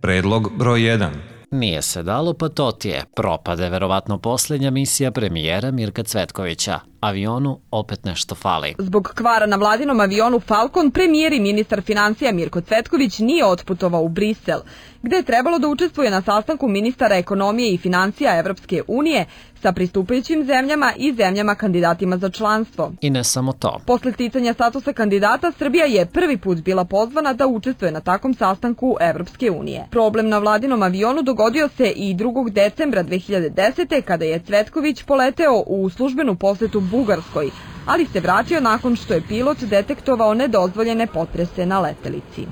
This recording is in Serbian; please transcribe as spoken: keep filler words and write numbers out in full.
Predlog broj jedan. Nije se dalo, pa to ti je. Propade verovatno posljednja misija premijera Mirka Cvetkovića. Avionu opet nešto fali. Zbog kvara na vladinom avionu Falcon, premijer i ministar financija Mirko Cvetković nije otputovao u Brisel, gde je trebalo da učestvuje na sastanku ministara ekonomije i financija Evropske unije sa pristupajućim zemljama i zemljama kandidatima za članstvo. I ne samo to. Posle sticanja statusa kandidata, Srbija je prvi put bila pozvana da učestvuje na takvom sastanku Evropske unije. Problem na vladinom avionu dogodio se i drugog decembra dve hiljade desete. kada je Cvetković poleteo u službenu posetu Bugarskoj, ali se vratio nakon što je pilot detektovao nedozvoljene potrese na letelici.